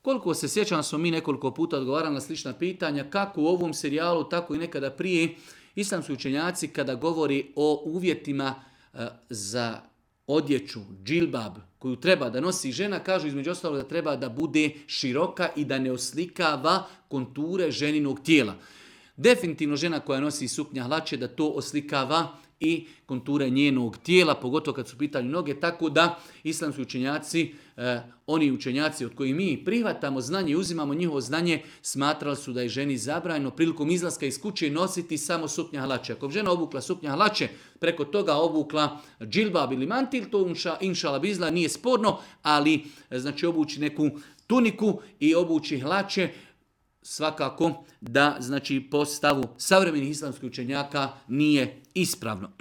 Koliko se sjećam, smo mi nekoliko puta odgovarali na slična pitanja, kako u ovom serijalu, tako i nekada prije. Islamski učenjaci kada govori o uvjetima za odjeću, džilbab, koju treba da nosi žena, kažu između ostalog da treba da bude široka i da ne oslikava konture ženinog tijela. Definitivno žena koja nosi suknja hlače da to oslikava i konture njenog tijela, pogotovo kad su u pitanju noge, tako da islamski učenjaci, oni učenjaci od kojih mi prihvatamo znanje i uzimamo njihovo znanje, smatrali su da je ženi zabranjeno prilikom izlaska iz kuće nositi samo suknja hlače. Ako žena obukla suknja hlače, preko toga obukla džilbab ili mantil, to inšala bizla nije sporno, ali znači obući neku tuniku i obući hlače, svakako da znači po stavu savremenih islamskih učenjaka nije ispravno.